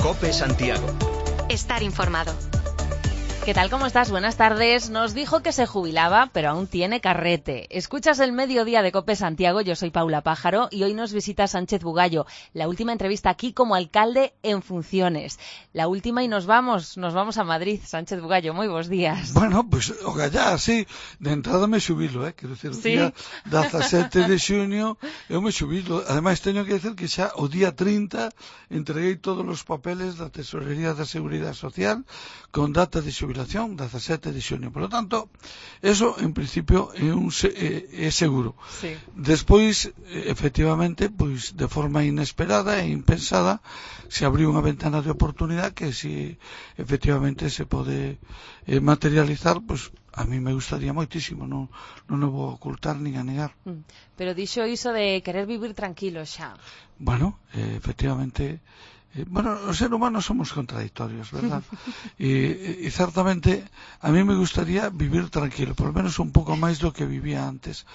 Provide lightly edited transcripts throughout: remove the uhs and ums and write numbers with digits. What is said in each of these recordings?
COPE Santiago. Estar informado. ¿Qué tal? ¿Cómo estás? Buenas tardes. Nos dijo que se jubilaba, pero aún tiene carrete. Escuchas el mediodía de COPE Santiago. Yo soy Paula Pájaro y hoy nos visita Sánchez Bugallo. La última entrevista aquí como alcalde en funciones. La última y nos vamos a Madrid. Sánchez Bugallo, moi bons días. Bueno, pues ogallá, sí, de entrada me xubilo, quero dicir, o día 17 de xunio eu me xubilo. Ademais, teño que dicir que xa o día 30 entreguei todos os papeles da Tesorería da Seguridade Social con data de xubilación 17 de xunio. Por lo tanto, eso en principio é seguro. Sí. Despois, efectivamente, pois de forma inesperada e impensada, se abriu unha ventana de oportunidade que si efectivamente se pode materializar, pois a mí me gustaría moitísimo, non o vou ocultar nin a negar. Pero dixo iso de querer vivir tranquilo xa. Bueno, efectivamente, os seres humanos somos contradictorios, ¿verdad? y certamente a mí me gustaría vivir tranquilo, por lo menos un pouco máis do que vivía antes.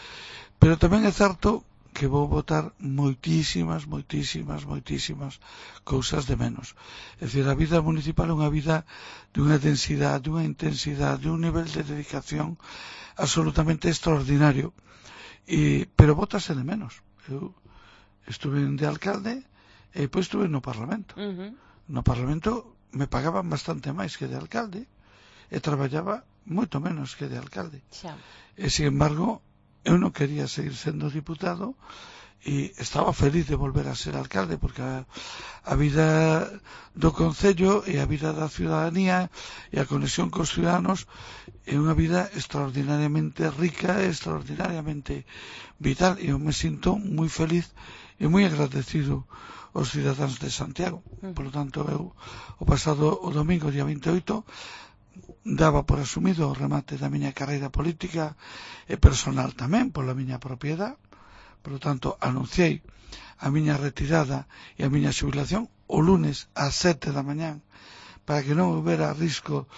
Pero tamén é certo que vou botar moitísimas cousas de menos. É dicir, a vida municipal é unha vida dunha densidade, dunha intensidade, dun nivel de dedicación absolutamente extraordinario. Pero bótase de menos. Eu estuve de alcalde e depois estuve no Parlamento. No Parlamento me pagaban bastante máis que de alcalde e traballaba moito menos que de alcalde. E, sin embargo, eu non quería seguir sendo diputado e estaba feliz de volver a ser alcalde porque a vida do Concello e a vida da ciudadanía e a conexión cos ciudadanos é unha vida extraordinariamente rica, extraordinariamente vital, e eu me sinto moi feliz e moi agradecido aos cidadáns de Santiago. Por lo tanto, eu o pasado o domingo, día 28, daba por asumido o remate da miña carreira política e personal tamén pola miña propiedade. Por lo tanto, anunciei a miña retirada e a miña xubilación o lunes ás 7 da mañán para que non houbera risco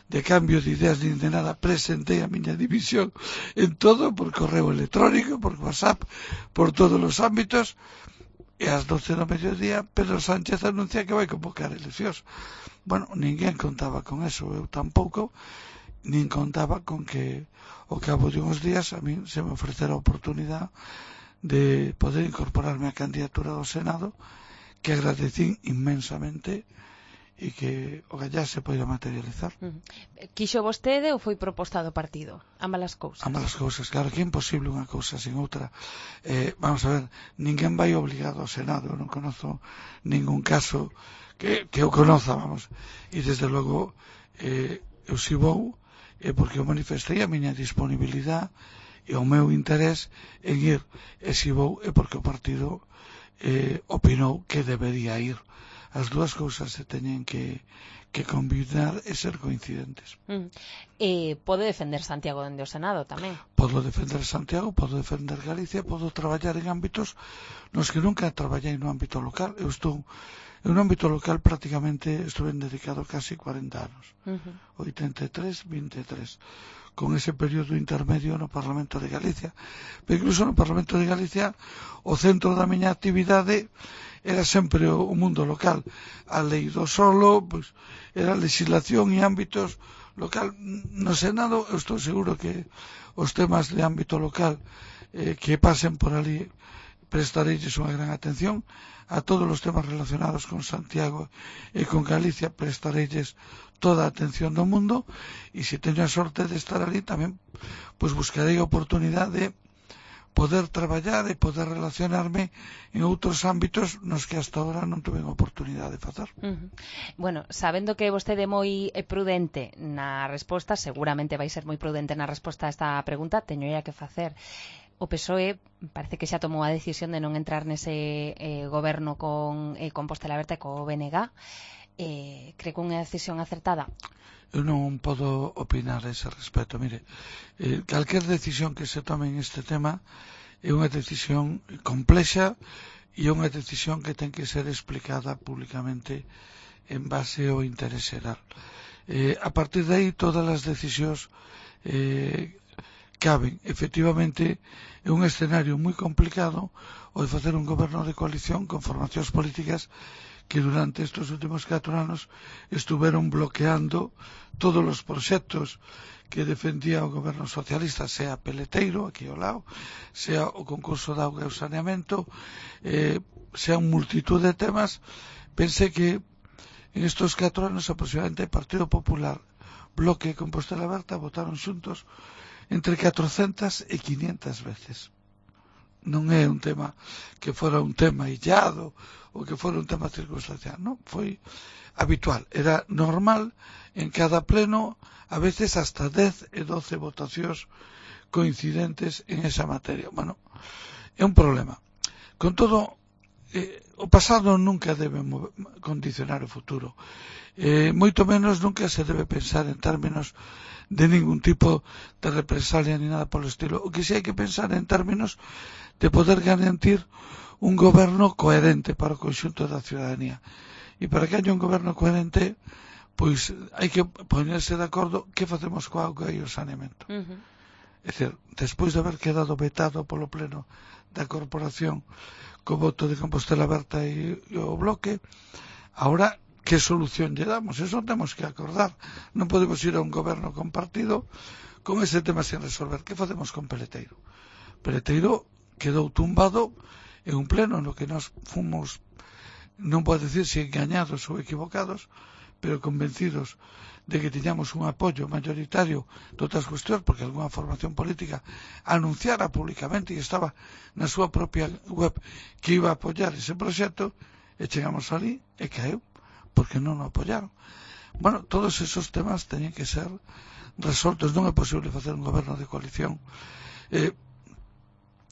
de cambio de ideas nin de nada. Presentei a miña dimisión en todo, por correo electrónico, por WhatsApp, por todos os ámbitos. E ás 12 do mediodía Pedro Sánchez anuncia que vai convocar eleccións. Bueno, ninguén contaba con eso, eu tampouco, nin contaba con que ao cabo de uns días a min se me ofrecera a oportunidade de poder incorporarme á candidatura do Senado, que agradecín inmensamente e que ogallá se poida materializar. Quixo vostede ou foi proposta do partido? Ambas as cousas. Ambas as cousas, claro que é imposible unha cousa sin outra. Vamos a ver, ninguén vai obligado ao Senado, eu non conozo ningún caso que eu conoza, vamos. E desde logo eu si vou porque eu manifestei a miña disponibilidade e o meu interés en ir, e si vou é porque o partido opinou que debería ir. As dúas cousas se teñen que combinar e ser coincidentes. Pode defender Santiago dende o Senado tamén? Podo defender Santiago, podo defender Galicia, podo traballar en ámbitos nos que nunca traballei no ámbito local. Eu estou en un ámbito local prácticamente estuve dedicado casi 40 anos. 83, 23. Con ese período intermedio no Parlamento de Galicia. Pero incluso no Parlamento de Galicia o centro da miña actividade era sempre o mundo local. A lei do solo, pois, era legislación e ámbitos local. No Senado eu estou seguro que os temas de ámbito local que pasen por ali prestareilles unha gran atención. A todos os temas relacionados con Santiago e con Galicia prestareilles toda a atención do mundo, e se teño a sorte de estar ali tamén pois buscarei a oportunidade de poder traballar e poder relacionarme en outros ámbitos nos que hasta ahora non tuve a oportunidade de facer. Bueno, sabendo que vostede é moi prudente na resposta, seguramente vai ser moi prudente na resposta a esta pregunta, teño que facer. O PSOE parece que xa tomou a decisión de non entrar nese goberno con Compostela Aberta e co BNG. Cree que unha decisión acertada? Eu non podo opinar a ese respecto. Mire, calquer decisión que se tome en este tema é unha decisión complexa e é unha decisión que ten que ser explicada públicamente en base ao interés xeral. A partir de aí, todas as decisións caben, efectivamente, é un escenario moi complicado o de facer un goberno de coalición con formacións políticas que durante estes últimos 4 anos estuveron bloqueando todos os proxectos que defendía o goberno socialista, sea peleteiro, aquí ao lado, sea o concurso de auga e o saneamento, sea un multitud de temas. Pensé que en estes 4 anos aproximadamente o Partido Popular, Bloque e Compostela Aberta votaron xuntos entre 400 e 500 veces. Non é un tema que fora un tema illado ou que fora un tema circunstancial, non, foi habitual, era normal en cada pleno, a veces hasta 10 e 12 votacións coincidentes en esa materia. Bueno, é un problema. Con todo, o pasado nunca debe condicionar o futuro, moito menos nunca se debe pensar en términos de ningún tipo de represalia ni nada polo estilo. O que si hai que pensar en términos de poder garantir un goberno coherente para o conxunto da ciudadanía. E para que haya un goberno coherente, pois hai que ponerse de acordo que facemos coa auga e o saneamento. É dicir, despois de haber quedado vetado polo pleno da corporación co voto de Compostela Aberta e o Bloque, agora que solución lle damos? Eso temos que acordar. Non podemos ir a un goberno compartido con ese tema sin resolver. Que facemos con Peleteiro? Peleteiro quedou tumbado en un pleno no que nós fomos, non pode decir se engañados ou equivocados, pero convencidos de que tiñamos un apoio mayoritario de outras cuestións, porque algunha formación política anunciara públicamente e estaba na súa propia web que iba a apoiar ese proxecto, e chegamos ali e caeu porque non o apoyaron. Bueno, todos esos temas teñen que ser resoltos. Non é posible facer un goberno de coalición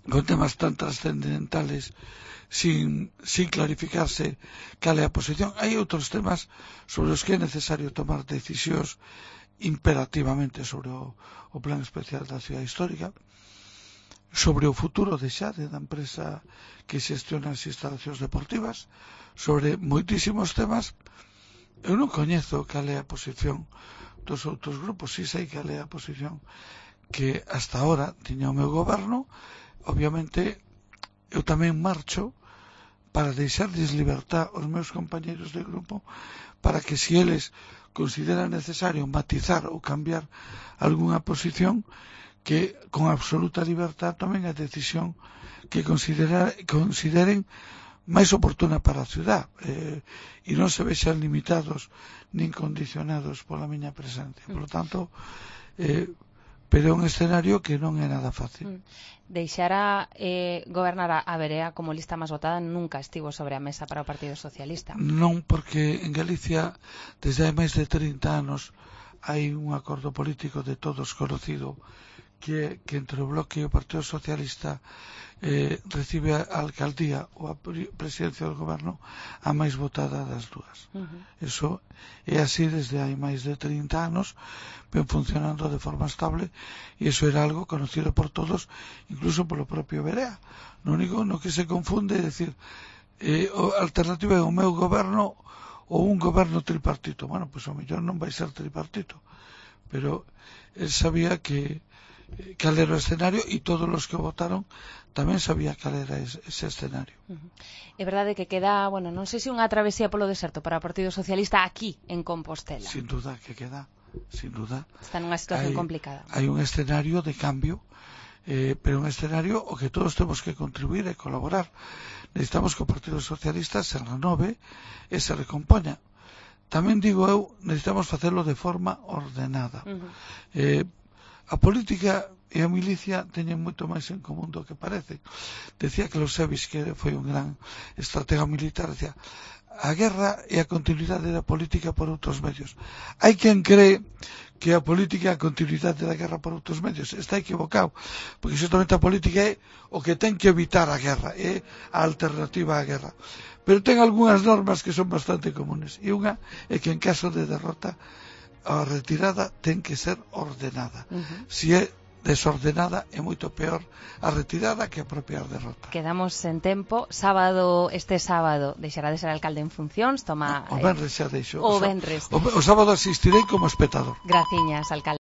con temas tan trascendentales sin clarificarse cal é a posición. Hai outros temas sobre os que é necesario tomar decisións imperativamente sobre o plan especial da cidade histórica, sobre o futuro de Xade, da empresa que xestiona as instalacións deportivas, sobre moitísimos temas. Eu non coñezo cal é a posición dos outros grupos, si sei cal é a posición que hasta ahora tiña o meu goberno. Obviamente eu tamén marcho para deixarles libertad aos meus compañeiros de grupo para que si eles consideran necesario matizar ou cambiar algunha posición, que con absoluta libertad tomen a decisión que consideren máis oportuna para a ciudad, e non se vexan limitados nin condicionados pola miña presencia. Por lo tanto, pero é un escenario que non é nada fácil. Deixar a gobernar a Verea como lista máis votada nunca estivo sobre a mesa para o Partido Socialista. Non, porque en Galicia desde hai máis de 30 anos hai un acordo político de todos conocido que entre o Bloque e o Partido Socialista recibe a alcaldía ou a presidencia do goberno a máis votada das dúas. Eso é así desde hai máis de 30 anos, ven funcionando de forma estable, e iso era algo conocido por todos, incluso polo propio Verea. Lo único no que se confunde é decir, a alternativa é o meu goberno ou un goberno tripartito. Bueno, pois ao mellor non vai ser tripartito, pero él sabía que cal era o escenario, e todos os que votaron tamén sabía cal era ese escenario. É verdade que queda, bueno, non sei se unha travesía polo deserto para o Partido Socialista aquí en Compostela. Sin duda que queda, sin duda. Está nunha situación complicada. Hai un escenario de cambio, pero un escenario o que todos temos que contribuir e colaborar. Necesitamos que o Partido Socialista se renove e se recompoña. Tamén digo eu, necesitamos facelo de forma ordenada. A política e a milicia teñen moito máis en común do que parece. Decía Clausewitz, que foi un gran estratega militar, decía, a guerra é a continuidade da política por outros medios. Hai quen cree que a política é a continuidade da guerra por outros medios. Está equivocado, porque xustamente a política é o que ten que evitar a guerra, é a alternativa á guerra. Pero ten algunhas normas que son bastante comunes, e unha é que en caso de derrota a retirada ten que ser ordenada. Si é desordenada é moito peor a retirada que a propia derrota. Quedamos en tempo. Este sábado deixará de ser alcalde en funcións. O venres xa deixo. O venres. O sábado asistirei como espectador. Graciñas, alcalde.